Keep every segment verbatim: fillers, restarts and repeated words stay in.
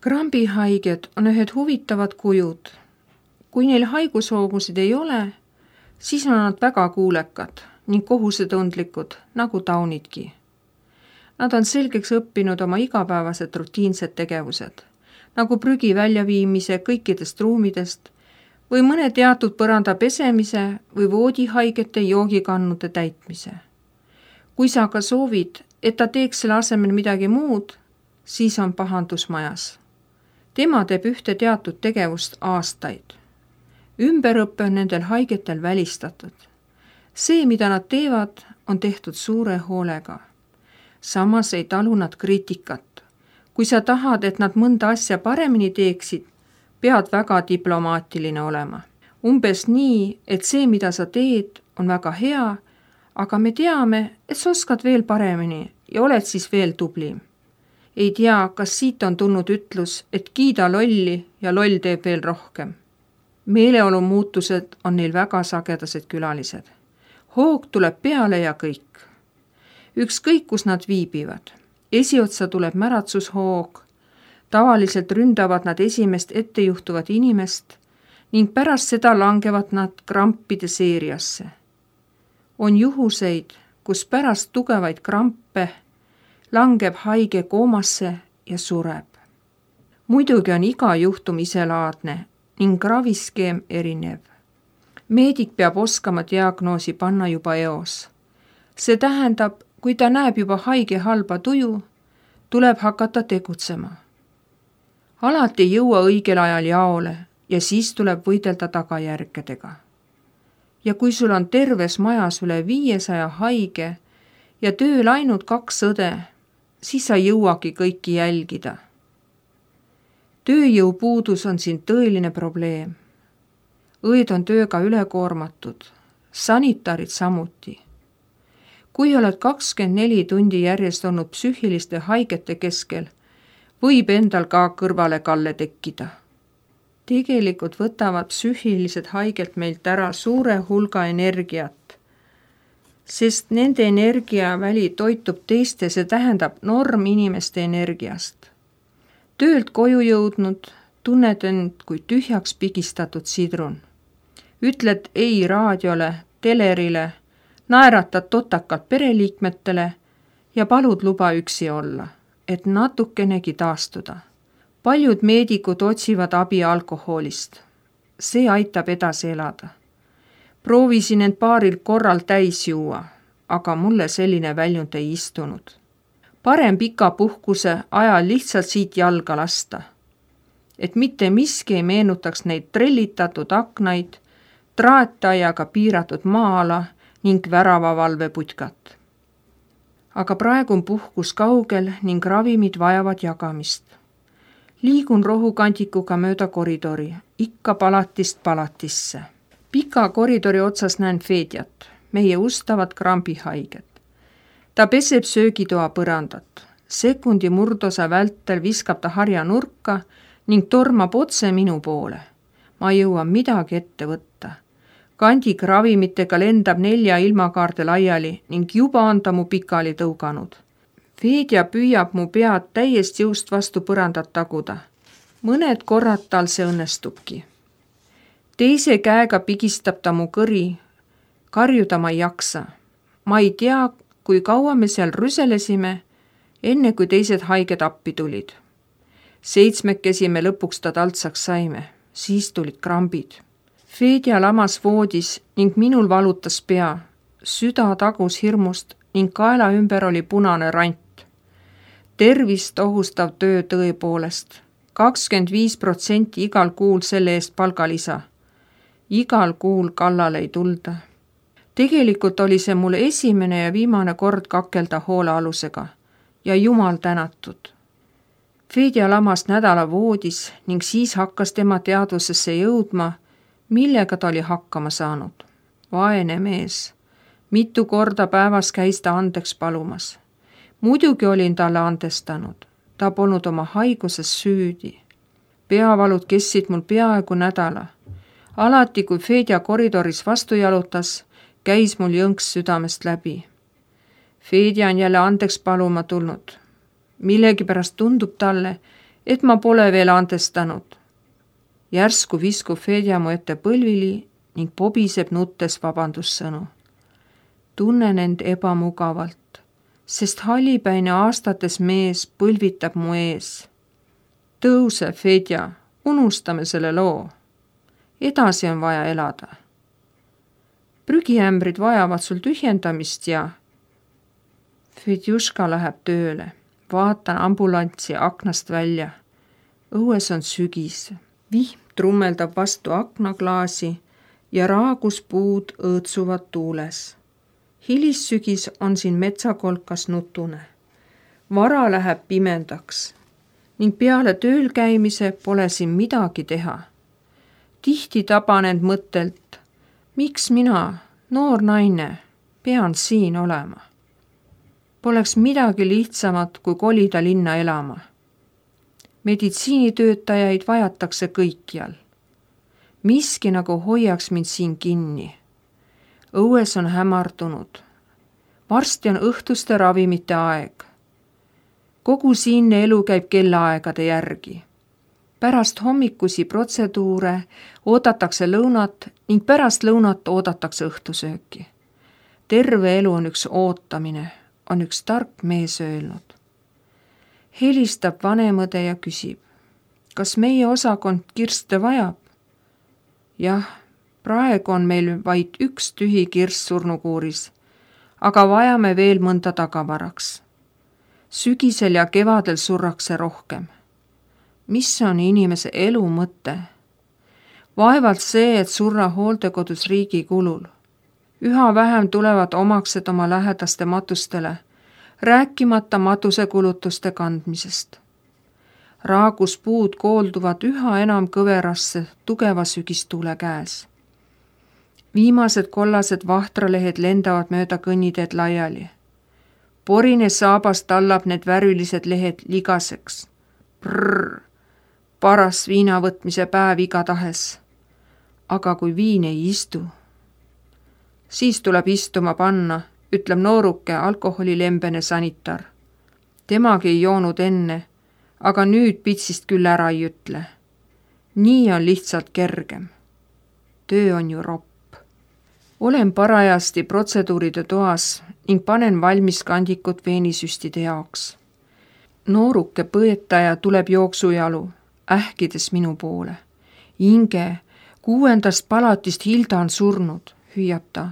Krambihaiged on ühed huvitavad kujud. Kui neil haigushoogusid ei ole, siis on nad väga kuulekad ning kohusetundlikud, nagu taunidki. Nad on selgeks õppinud oma igapäevased rutiinsed tegevused, nagu prügi väljaviimise kõikidest ruumidest või mõne teatud põranda pesemise või voodihaigete joogikannude täitmise. Kui sa aga soovid, et ta teeks selle asemel midagi muud, siis on pahandus majas. Tema teeb ühte teatud tegevust aastaid. Ümberõppe on nendel haigetel välistatud. See, mida nad teevad, on tehtud suure hoolega. Samas ei talu nad kriitikat. Kui sa tahad, et nad mõnda asja paremini teeksid, pead väga diplomaatiline olema. Umbes nii, et see, mida sa teed, on väga hea, aga me teame, et sa oskad veel paremini ja oled siis veel tublim. Ei tea, kas siit on tulnud ütlus, et kiida lolli ja loll teeb veel rohkem. Meeleolu muutused on neil väga sagedased külalised. Hoog tuleb peale ja kõik. Ükskõik, kus nad viibivad. Esiotsa tuleb märatsushoog. Tavaliselt ründavad nad esimest ettejuhtuvat inimest ning pärast seda langevad nad krampide seeriasse. On juhuseid, kus pärast tugevaid krampe langeb haige koomasse ja sureb. Muidugi on iga juhtum iselaadne ning raviskeem erinev. Meedik peab oskama diagnoosi panna juba eos. See tähendab, kui ta näeb juba haige halba tuju, tuleb hakata tegutsema. Alati ei jõua õigel ajal jaole ja siis tuleb võidelda tagajärgedega. Ja kui sul on terves majas üle viiesaja haige ja tööl ainult kaks õde, siis sa jõuagi kõiki jälgida. Tööjõupuudus on siin tõeline probleem. Õed on tööga ülekoormatud, sanitarid samuti. Kui oled kakskümmend neli tundi järjest olnud psüühiliste haigete keskel, võib endal ka kõrvale kalle tekkida. Tegelikult võtavad psüühilised haigelt meilt ära suure hulga energiat, sest nende energiaväli toitub teiste, see tähendab norm inimeste energiast. Töölt koju jõudnud, tunned end kui tühjaks pigistatud sidrun. Ütled ei raadiole, telerile, naeratad totakalt pereliikmetele ja palud luba üksi olla, et natukenegi taastuda. Paljud meedikud otsivad abi alkoholist. See aitab edasi elada. Proovisin end paaril korral täis juua, aga mulle selline väljund ei istunud. Parem pika puhkuse ajal lihtsalt siit jalga lasta. Et mitte miski ei meenutaks neid trellitatud aknaid, traataiaga piiratud maa-ala ning väravavalveputkat. Aga praegu on puhkus kaugel ning ravimid vajavad jagamist. Liigun rohukandikuga mööda koridori, ikka palatist palatisse. Pika koridori otsas näen Fedjat, meie ustavad krambihaiget. Ta peseb söögitoa põrandat. Sekundi murdosa vältel viskab ta harja nurka ning tormab otse minu poole. Ma jõuan midagi ette võtta. Kandik ravimitega lendab nelja ilmakaarde laiali ning juba on ta mu pikali tõuganud. Fedja püüab mu pead täiest jõust vastu põrandat taguda. Mõned korrad tal see õnnestubki. Teise käega pigistab ta mu kõri. Karjuda ma ei jaksa. Ma ei tea, kui kaua me seal rüselesime, enne kui teised haiged appi tulid. Seitsmekesi me lõpuks ta taltsaks saime, siis tulid krambid. Fedja lamas voodis ning minul valutas pea, süda tagus hirmust ning kaela ümber oli punane rant. Tervist ohustav töö tõepoolest, kakskümmend viis protsenti igal kuul selle eest palgalisa. Igal kuul kallale ei tulda. Tegelikult oli see mul esimene ja viimane kord kakelda hoolealusega ja jumal tänatud. Fedja lamas nädala voodis ning siis hakkas tema teadvusesse jõudma, millega ta oli hakkama saanud. Vaene mees. Mitu korda päevas käis ta andeks palumas. Muidugi olin talle andestanud. Ta polnud oma haiguses süüdi. Peavalud kestsid mul peaaegu nädala. Alati, kui Fedja koridoris vastu jalutas, käis mul jõnks südamest läbi. Fedja on jälle andeks paluma tulnud. Millegipärast tundub talle, et ma pole veel andestanud. Järsku viskub Fedja mu ette põlvili ning pobiseb nuttes vabandussõnu. Tunnen end ebamugavalt, sest hallipäine aastates mees põlvitab mu ees. Tõuse, Fedja, unustame selle loo. Edasi on vaja elada. Prügiämbrid vajavad sul tühjendamist ja Fedjuška läheb tööle. Vaatan ambulantsi aknast välja. Õues on sügis. Vihm trummeldab vastu aknaklaasi ja raaguspuud õõtsuvad tuules. Hilissügis on siin metsakolkas nutune. Vara läheb pimendaks ning peale tööl käimise pole siin midagi teha. Tihti taban end mõttelt, miks mina, noor naine, pean siin olema. Poleks midagi lihtsamat, kui kolida linna elama. Meditsiinitöötajaid vajatakse kõikjal. Miski nagu hoiaks mind siin kinni. Õues on hämardunud. Varsti on õhtuste ravimite aeg. Kogu siinne elu käib kellaaegade järgi. Pärast hommikusi protseduure oodatakse lõunat ning pärast lõunat oodatakse õhtusööki. Terve elu on üks ootamine, on üks tark mees öelnud. Helistab vanemõde ja küsib, kas meie osakond kirste vajab? Jah, praegu on meil vaid üks tühi kirst surnukuuris, aga vajame veel mõnda tagavaraks. Sügisel ja kevadel surrakse rohkem. Mis on inimese elu mõte? Vaevalt see, et surra hooldekodus riigi kulul. Üha vähem tulevad omaksed oma lähedaste matustele, rääkimata matusekulutuste kandmisest. Raaguspuud koolduvad üha enam kõverasse tugeva sügistuule käes. Viimased kollased vahtralehed lendavad mööda kõnniteed laiali. Porine saabas tallab need värvilised lehed ligaseks. Prrr, paras viina võtmise päev igatahes. Aga kui viin ei istu, siis tuleb istuma panna, ütleb nooruke alkoholilembene sanitar. Temagi ei joonud enne, aga nüüd pitsist küll ära ei ütle. Nii on lihtsalt kergem. Töö on ju ropp. Olen parajasti protseduuride toas ning panen valmis kandikut veenisüstide jaoks. Nooruke põetaja tuleb jooksujalu, ähkides minu poole. Inge, kuuendast palatist Hilda on surnud, hüüab ta.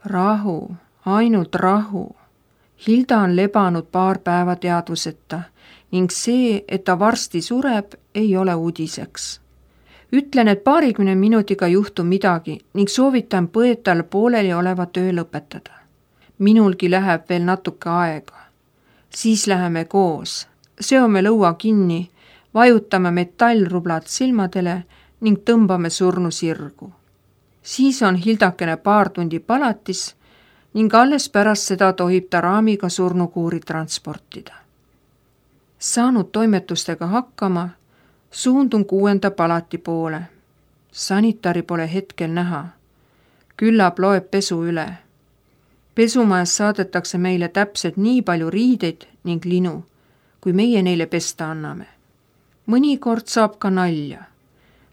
Rahu, ainult rahu. Hilda on lebanud paar päeva teadvuseta ning see, et ta varsti sureb, ei ole uudiseks. Ütlen, et paarikümne minutiga juhtu midagi ning soovitan põetajal pooleli oleva töö lõpetada. Minulgi läheb veel natuke aega. Siis läheme koos, seome lõua kinni, vajutame metallrublad silmadele ning tõmbame surnu sirgu. Siis on Hildakene paar tundi palatis ning alles pärast seda tohib ta raamiga surnukuuri transportida. Saanud toimetustega hakkama, suundun kuuenda palati poole. Sanitari pole hetkel näha. Küllap loeb pesu üle. Pesumajas saadetakse meile täpselt nii palju riideid ning linu, kui meie neile pesta anname. Mõnikord saab ka nalja.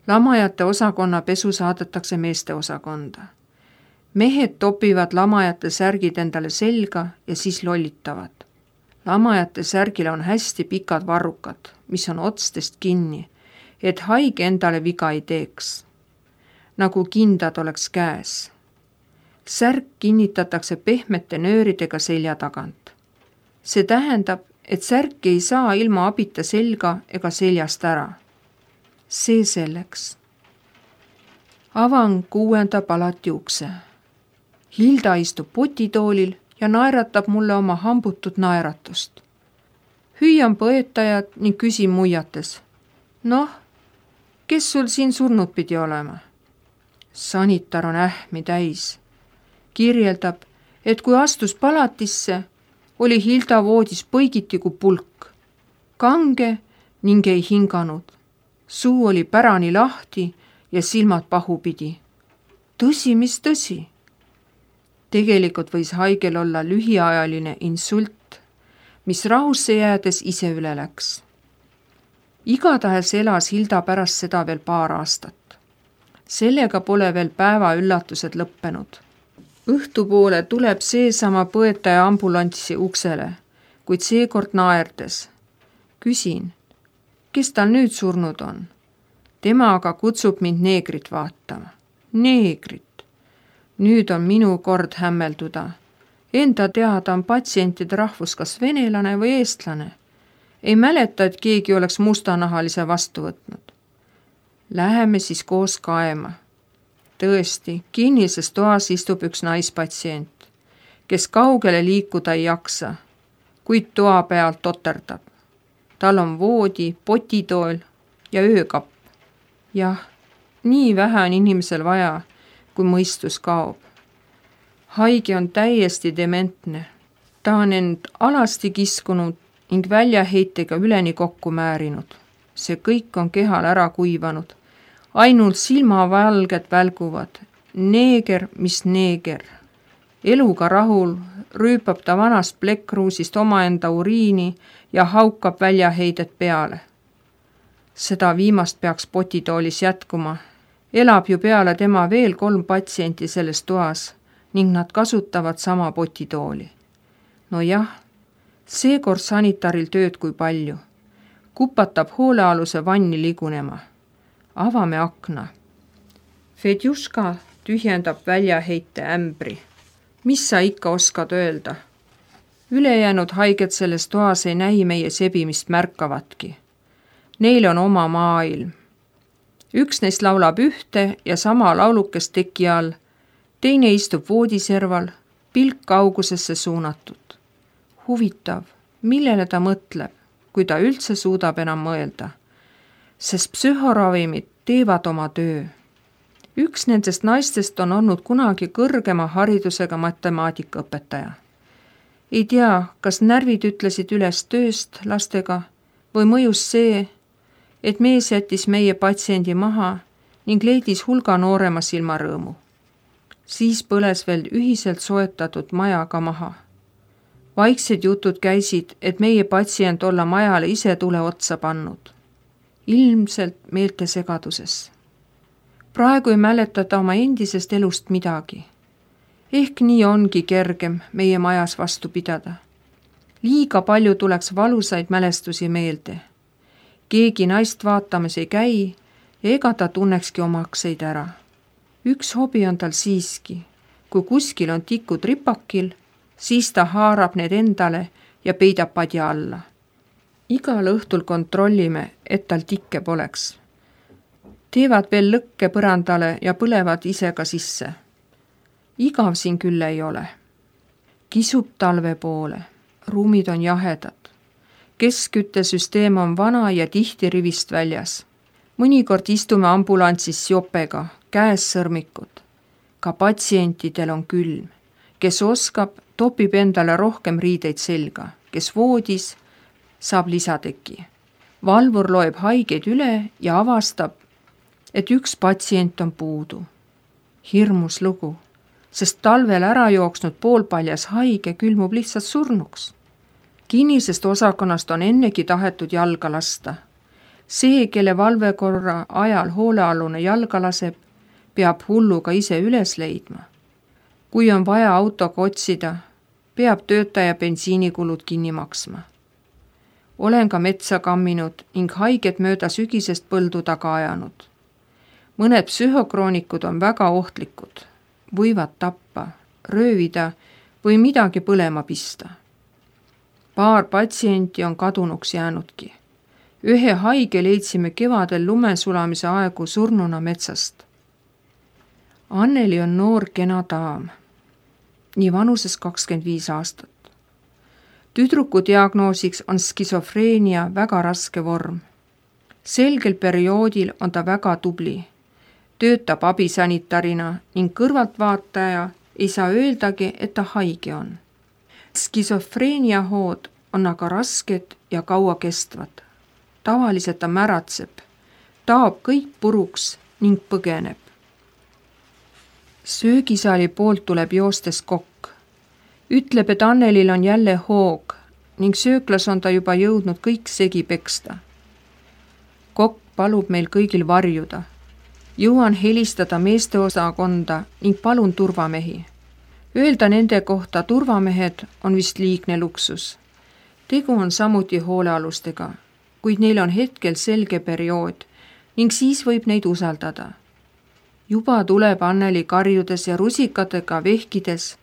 Lamajate osakonna pesu saadetakse meeste osakonda. Mehed topivad lamajate särgid endale selga ja siis lollitavad. Lamajate särgil on hästi pikad varrukad, mis on otstest kinni, et haige endale viga ei teeks. Nagu kindad oleks käes. Särk kinnitatakse pehmete nööridega selja tagant. See tähendab, et särk ei saa ilma abita selga ega seljast ära. See selleks. Avan kuuenda palati ukse. Hilda istub potitoolil ja naeratab mulle oma hambutut naeratust. Hüüan põetajat ning küsin muiates. Noh, kes sul siin surnud pidi olema? Sanitar on ähmi täis. Kirjeldab, et kui astus palatisse, oli Hilda voodis põigiti kui pulk. Kange ning ei hinganud. Suu oli pärani lahti ja silmad pahupidi. Tõsi, mis tõsi? Tegelikult võis haigel olla lühiajaline insult, mis rahusse jäädes ise üle läks. Igatahes elas Hilda pärast seda veel paar aastat. Sellega pole veel päeva üllatused lõppenud. Õhtupoole tuleb seesama põetaja ambulanssi uksele, kuid seekord naerdes. Küsin, kes tal nüüd surnud on? Tema aga kutsub mind neegrit vaatama. Neegrit. Nüüd on minu kord hämmelduda. Enda teada on patsientide rahvus kas venelane või eestlane. Ei mäleta, et keegi oleks mustanahalise vastu võtnud. Läheme siis koos kaema. Tõesti, kinnises toas istub üks naispatsient, kes kaugele liikuda ei jaksa, kuid toa pealt toterdab. Tal on voodi, potitool ja öökapp. Jah, nii vähe on inimesel vaja, kui mõistus kaob. Haige on täiesti dementne. Ta on end alasti kiskunud ning väljaheitega üleni kokku määrinud. See kõik on kehal ära kuivanud. Ainult silmavalged välguvad. Neeger, mis neeger. Eluga rahul rüüpab ta vanast plekkruusist omaenda uriini ja haukab väljaheidet peale. Seda viimast peaks potitoolis jätkuma. Elab ju peale tema veel kolm patsienti selles toas ning nad kasutavad sama potitooli. No jah, seekord sanitaril tööd kui palju. Kupatab hoolealuse vanni ligunema. Avame akna. Fedjuška tühjendab väljaheite ämbri. Mis sa ikka oskad öelda? Ülejäänud haiged selles toas ei näi meie sebimist märkavatki. Neil on oma maailm. Üks neist laulab ühte ja sama laulukest teki all, teine istub voodiserval, pilk kaugusesse suunatud. Huvitav, millele ta mõtleb, kui ta üldse suudab enam mõelda, sest psühhoravimid teevad oma töö. Üks nendest naistest on olnud kunagi kõrgema haridusega matemaatikaõpetaja. Ei tea, kas närvid ütlesid üles tööst lastega või mõjus see, et mees jättis meie patsiendi maha ning leidis hulga noorema silmarõõmu. Siis põles veel ühiselt soetatud maja ka maha. Vaiksed jutud käisid, et meie patsient olla majale ise tule otsa pannud. Ilmselt meelte segaduses. Praegu ei mäleta ta oma endisest elust midagi. Ehk nii ongi kergem meie majas vastu pidada. Liiga palju tuleks valusaid mälestusi meelde. Keegi naist vaatamas ei käi ja ega ta tunnekski omakseid ära. Üks hobi on tal siiski. Kui kuskil on tikud ripakil, siis ta haarab need endale ja peidab padja alla. Igal õhtul kontrollime, et tal tikke poleks. Teevad veel lõkke põrandale ja põlevad ise ka sisse. Igav siin küll ei ole. Kisub talve poole. Ruumid on jahedad. Keskküttesüsteem on vana ja tihti rivist väljas. Mõnikord istume ambulanssis jopega, käes sõrmikud. Ka patsientidel on külm. Kes oskab, topib endale rohkem riideid selga. Kes voodis, saab lisateki. Valvur loeb haigeid üle ja avastab, et üks patsient on puudu. Hirmus lugu, sest talvel ära jooksnud poolpaljas haige külmub lihtsalt surnuks. Kinnisest osakonnast on ennegi tahetud jalga lasta. See, kelle valvekorra ajal hoolealune jalga laseb, peab hulluga ise üles leidma. Kui on vaja autoga otsida, peab töötaja bensiinikulud kinni maksma. Olen ka metsa kamminud ning haiget mööda sügisest põldu taga ajanud. Mõned psühhokroonikud on väga ohtlikud, võivad tappa, röövida või midagi põlema pista. Paar patsienti on kadunuks jäänudki. Ühe haige leidsime kevadel lumesulamise aegu surnuna metsast. Anneli on noor kena daam, nii vanuses kakskümmend viis aastat. Tüdruku diagnoosiks on skisofreenia väga raske vorm. Selgel perioodil on ta väga tubli. Töötab abisanitarina ning kõrvaltvaataja ei saa öeldagi, et ta haige on. Skisofreenia hood on aga rasked ja kaua kestvad. Tavaliselt ta märatseb, taob kõik puruks ning põgeneb. Söögisaali poolt tuleb joostes kokk. Ütleb, et Annelil on jälle hoog ning sööklas on ta juba jõudnud kõik segi peksta. Kokk palub meil kõigil varjuda. Jõuan helistada meesteosakonda ning palun turvamehi. Öelda nende kohta turvamehed on vist liigne luksus. Tegu on samuti hoolealustega, kuid neil on hetkel selge periood ning siis võib neid usaldada. Juba tuleb Anneli karjudes ja rusikatega vehkides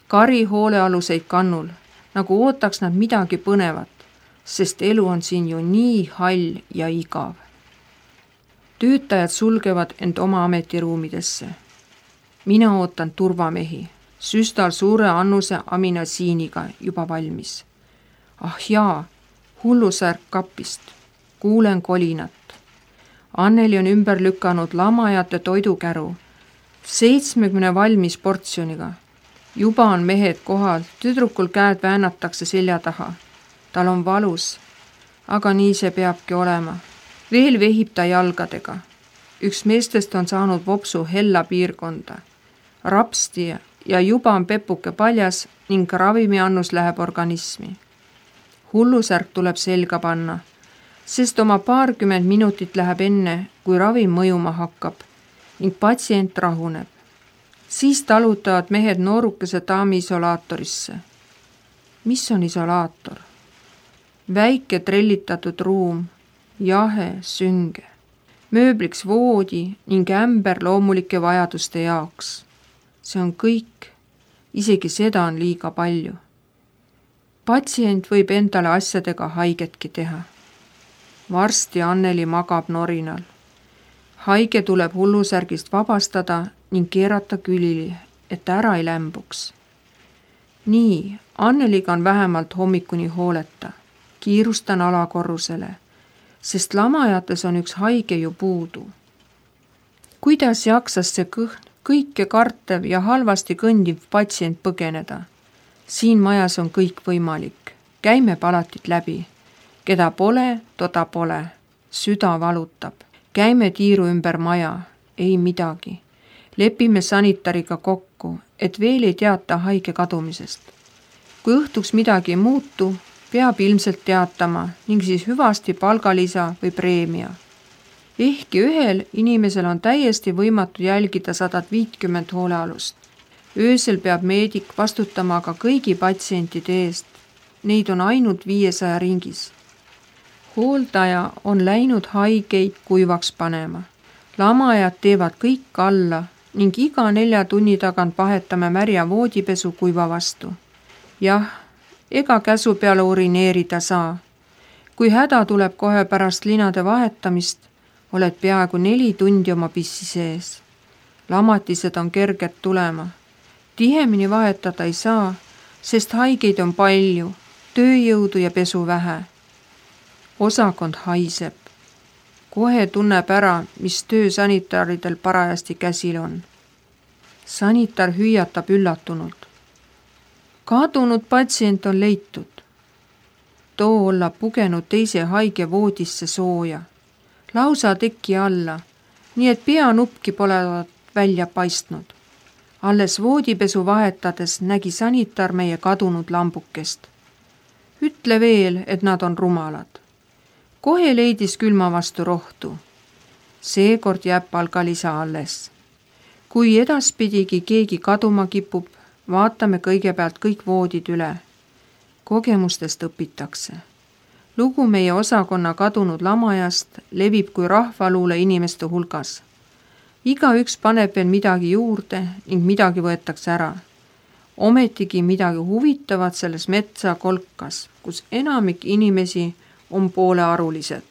kari hoolealuseid kannul, nagu ootaks nad midagi põnevat, sest elu on siin ju nii hall ja igav. Töötajad sulgevad end oma ametiruumidesse. Mina ootan turvamehi, süstal suure annuse aminasiiniga juba valmis. Ah jaa, hullusärk kapist. Kuulen kolinat. Anneli on ümber lükanud lamajate toidukäru, seitsmekümne valmis portsjoniga. Juba on mehed kohal, tüdrukul käed väänatakse selja taha. Tal on valus, aga nii see peabki olema. Veel vehib ta jalgadega. Üks meestest on saanud vopsu hella piirkonda. Rapsti ja juba on pepuke paljas ning ravimiannus läheb organismi. Hullusärk tuleb selga panna, sest oma paarkümmend minutit läheb enne, kui ravim mõjuma hakkab ning patsient rahuneb. Siis talutavad mehed noorukese daami isolaatorisse. Mis on isolaator? Väike trellitatud ruum, jahe, sünge, mööbliks voodi ning ämber loomulike vajaduste jaoks. See on kõik, isegi seda on liiga palju. Patsient võib endale asjadega haigetki teha. Varsti Anneli magab norinal. Haige tuleb hullusärgist vabastada ning keerata külili, et ära ei lämbuks. Nii, Anneliga on vähemalt hommikuni hooleta. Kiirustan alakorrusele, sest lamajates on üks haige ju puudu. Kuidas jaksas see kõhn, kõike kartev ja halvasti kõndiv patsient põgeneda? Siin majas on kõik võimalik. Käime palatit läbi. Keda pole, toda pole. Süda valutab. Käime tiiru ümber maja. Ei midagi. Lepime sanitariga kokku, et veel ei teata haige kadumisest. Kui õhtuks midagi ei muutu, peab ilmselt teatama ning siis hüvasti palgalisa või preemia. Ehkki ühel inimesel on täiesti võimatu jälgida sadat viitkümmend hoolealust. Öösel peab meedik vastutama aga kõigi patsientide eest. Neid on ainult viiesaja ringis. Hooldaja on läinud haigeid kuivaks panema. Lamajad teevad kõik alla ning iga nelja tunni tagant vahetame märja voodipesu kuiva vastu. Jah, ega käsu peale urineerida saa. Kui häda tuleb kohe pärast linade vahetamist, oled peaaegu neli tundi oma pissi sees. Lamatised on kerged tulema. Tihemini vahetada ei saa, sest haigeid on palju, tööjõudu ja pesu vähe. Osakond haiseb. Kohe tunneb ära, mis töö sanitaridel parajasti käsil on. Sanitar hüüatab üllatunult. Kadunud patsient on leitud. Too olla pugenud teise haige voodisse sooja. Lausa teki alla, nii et peanupki pole välja paistnud. Alles voodipesu vahetades nägi sanitar meie kadunud lambukest. Ütle veel, et nad on rumalad. Kohe leidis külma vastu rohtu. Seekord jääb palgalisa alles. Kui edaspidigi keegi kaduma kipub, vaatame kõigepealt kõik voodid üle. Kogemustest õpitakse. Lugu meie osakonna kadunud lamajast levib kui rahvaluule inimeste hulgas. Igaüks paneb veel midagi juurde ning midagi võetakse ära. Ometigi midagi huvitavat selles metsa kolkas, kus enamik inimesi on poolearulised.